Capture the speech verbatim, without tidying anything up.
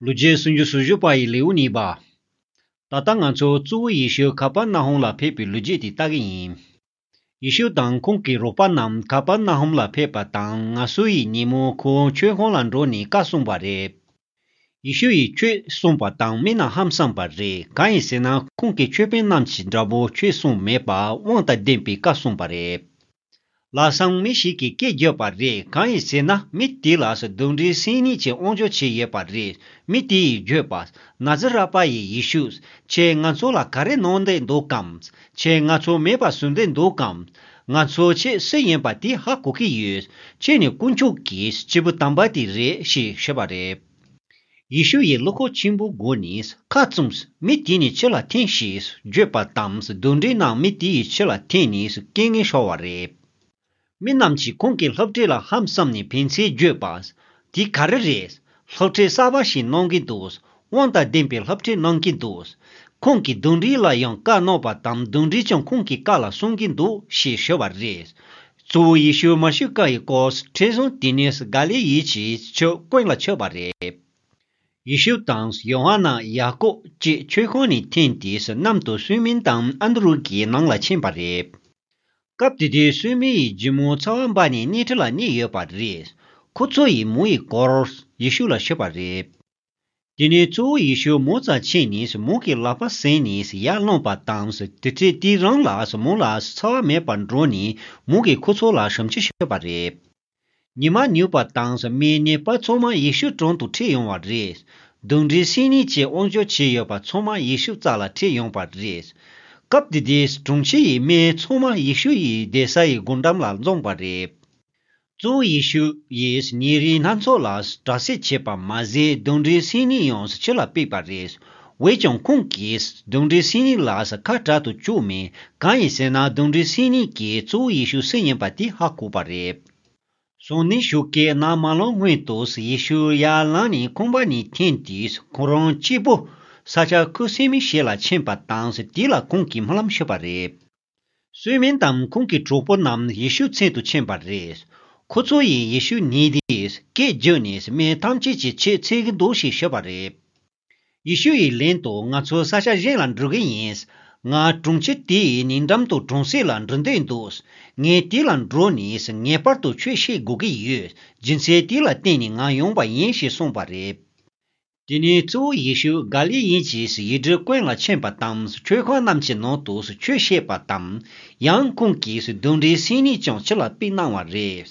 ལོ་རྒྱུས་སུམ་ཅུ་སོ་བཞི་པ་ཡི་ལེའུ་གཉིས་པ། ད་ལྟ་ང་ཚོ་གཙོ་བོ་ཡེ་ཤུ་ཁ་པར་ནཱ་ཧོམ་ལ་ཕེབས་པའི་ལོ་རྒྱུས་དེ་ལྟ་གི་ཡིན། ཡེ་ཤུ་དང་ཁོང་གི་རོགས་པ་རྣམས་ཁ་པར་ནཱ་ཧོམ་ལ་ཕེབས་པ་དང་ང་སོ་ཡི་ཉིན་མོ་ཁོང་ཆོས་ཁང་ལ་འགྲོ་ནས་བཀའ་གསུངས་པ་རེད། ཡེ་ཤུ་ཡིས་ཆོས་གསུངས་པ་དང་མི་རྣམས་ཧང་སངས་པ་རེད། གང་ཡིན་ཟེར་ན་ཁོང་གི་ཆོས་དཔོན་རྣམས་ཀྱི་འདྲ་པོ་ཆོས་གསུངས་མེད་པ་དབང་དང་ལྡན་པའི་བཀའ་གསུངས་པ་རེད། ལམ་སང་མི་ཞིག་གིས་སྐད་བརྒྱབ་པ་རེད། གང་ཡིན་ཟེར་ན་མི་དེ་ལ་གདོན་འདྲེ་སེམས་ཉིད་ཀྱི་དབང་འབྱོར་ཅིག་ཡོད་པ་རེད། མི་དེ་ཡིས་བརྗོད་པ། ན་ཛི་ར་པ་ཡི་ཡེ་ཤུ། ཁྱེད་ང་ཚོ་ལ་ག་རེ་གནང་འདོད་འདུག་གམ། ཁྱེད་ང་ཚོ་མེད་པ་བཟོ་འདོད་འདུག་གམ། ང་ཚོ་ཁྱེད་སུ་ཡིན་པ་དེ་ཧ་གོ་གི་ཡོད། ཁྱེད་ནི་དཀོན་མཆོག་གི་སྐྱེས་བུ་དམ་པ་དེ་རེད་ཞེས་ཞུས་པ་རེད། ཡེ་ཤུ་ཡིས་བློ་ཁོག་ཆེན་པོའི་སྒོ་ནས་ཁ་བཙུམས། མི་དེ་ནི་ཕྱི་ལ་འཐེན་ཞེས་བརྗོད་པ་དང་གདོན་འདྲེ་རྣམས་མི་དེ་ཡི་ཕྱི་ལ་འཐེན་ནས་སྐད་ངན་ཤོར་བ་རེད། མི་རྣམས་ཀྱིས་ཁོང་གི་སློབ་ཁྲིད་ལ་ཧང་སངས་ནས་ཕན་ཚུན་བརྗོད་པ། དེ་ག་རེ་རེད། སློབ་ཁྲིད་གསར་པ་ཞིག་གནང་གི་འདུག་དབང་དང་ལྡན་པའི་སློབ་ཁྲིད་གནང་གི་འདུག་ཁོང་གིས་གདོན་འདྲེ་ལ་ཡང་བཀའ་གནང་བ་དང་གདོན་འདྲེ་ཀྱང་ཁོང་གི་བཀའ་ལ་སྲུང་གི་འདུག་ཞེས་ཞུས་པ་རེད། གཙོ་བོ་ཡེ་ཤུ་མ་ཤི་ཀ་ཡི་སྐོར་ཁྲིད་གཞུང་དེ་ནི་ག་ལི་ཡིས་ཀྱི་ཆོས་དཔོན་ལ་ཆགས་པ་རེད། ཡེ་ཤུ་དང་ཡོ་ཧ་ནན། ཡ་ཀོབ་བཅས་ཆོས་ཁང་ནས་འཐེན་ཏེ་གནམ་དུ་སུལ་མིན་དང་ཨན་དྲུ་གི་ནང་ལ་ཕྱིན་པ་རེད། སྐབས་དེ་དུས་སུལ་མིན་ཡི་ཇི་མོ་ཚ་བ་འབར་ནས་སྣེ་ཁྲིད་ལ་གནས་ཡོད་པ་རེད། ཁོ་ཚོ་ཡིས་མོ་ཡི་སྐོར་ཡེ་ཤུ་ལ་ཞུས་པ་རེད། དེ་ནས་གཙོ་བོ་ཡེ་ཤུ་མོ་རྩར་ཕྱིན་ནས་མོ་གི་ལག་པ་ཟིན་ནས་ཡར་ལངས་པ་དང་དེ་འཕྲལ་དེ་རང་ལ་མོ་ལ་ཚ་བ་མེད་པར་འགྲོ་ནས་མོ་གིས་ཁོ་ཚོ་ལ་ཞབས་ཕྱི་ཞུས་པ་རེད། ཉི་མ་ནུབ་པ་དང་མིའི་ནད་པ་ཚང་མ་ཡེ་ཤུ་དྲུང་དུ་ཁྲིད་ཡོང་བ་རེད། གདོན་འདྲེ་སེམས་ཉིད་ཀྱི་དབང་འབྱོར་ཅན་ཡོད་པ་ཚང་མ་ཡེ་ཤུ་རྩ་ལ་ཁྲིད་ཡོང་བ་རེད། སྐབས་དེ་དུས་དྲུང་ཆེ་ཡི་མི་ཚང་མ་ཡེ་ཤུ་ཡི་བསྡད་ས་ཡི་སྒོ་འགྲམ་ལ་འཛོམས་པ་རེད། གཙོ་བོ་ཡེ་ཤུ་ཡིས་ཉེ་རིང་སྣ་ཚོགས་ལ་དྲག་སྐྱེད་བྱས་པ་མ་ཟད་གདོན་འདྲེ་སེམས་ཉིད་ཡང་ཕྱི་ལ་ཕུད་པ་རེད། འོན་ཀྱང་ཁོང་གིས་གདོན་འདྲེ་སེམས་ཉིད་ལ་ཁ་གྲག་ཏུ་བཅུག་མེད། གང་ཡིན་ཟེར་ན་གདོན་འདྲེ་སེམས་ཉིད་ཀྱིས་གཙོ་བོ་ཡེ་ཤུ་སུ་ཡིན་པ་དེ་ཧ་གོ་བ་རེད། སང་ཉིན་ཞོགས་ཀས་ནམ་མ་ལངས་སྔོན་དུ་ཡེ་ཤུ་ཡར་ལངས་ནས་ཁང་པ་ནས་འཐེན་ཏེ་ཁོ་རང་གཅིག་པུ་ས་ཆ་ཁུ་སིམ་མེ་ཞིག་ལ་ཕྱིན་པ་དང་དེ་ལ་ཁོང་གིས་སྨོན་ལམ་ཞུས་པ་རེད། སུལ་མིན་དང་ཁོང་གི་གྲོགས་པོ་རྣམས་ཡེ་ཤུ་མཚན་དུ་ཕྱིན་པ་རེད། ཁོ་ཚོ་ཡིས་ཡེ་ཤུ་ཉིད་དེ་སྐད་བརྒྱབ་ནས་མི་ཐམས་ཅད་ཀྱིས་ཁྱེད་འཚོལ་གྱི་འདུག་ཞེས་ཞུས་པ་རེད། ཡེ་ཤུ་ཡིས་ལན་དུ་ང་ཚོ་ས་ཆ་གཞན་ལ་འགྲོ་གི་ཡིན། ང་དྲུང་ཆེ་དེ་ཡི་ཉེ་འགྲམ་དུ་གྲོང་གསེབ་ལ་འགྲོ་འདོད་འདུག་ངས་དེ་ལ་འགྲོ་ནས་ངེས་པར་དུ་ཆོས་བཤད་དགོས་ཀྱི་ཡོད། རྒྱུ་མཚན་དེ་ལ་བརྟེན་ནས་ང་ཡོང་པ་ཡིན་ཞེས་གསུངས་པ་རེད། དེ་ནས་གཙོ་བོ་ཡེ་ཤུ་ག་ལི་ཡིན་གྱི་ཡུལ་གྲུའི་ཀུན་ལ་ཕྱིན་པ་དང་ཆོས་ཁང་རྣམས་ཀྱི་ནང་དུ་ཆོས་བཤད་པ་དང་། ཡང་ཁོང་གིས་གདོན་འདྲེ་སེམས་ཉིད་ཀྱང་ཕྱི་ལ་ཕུད་གནང་བ་རེད།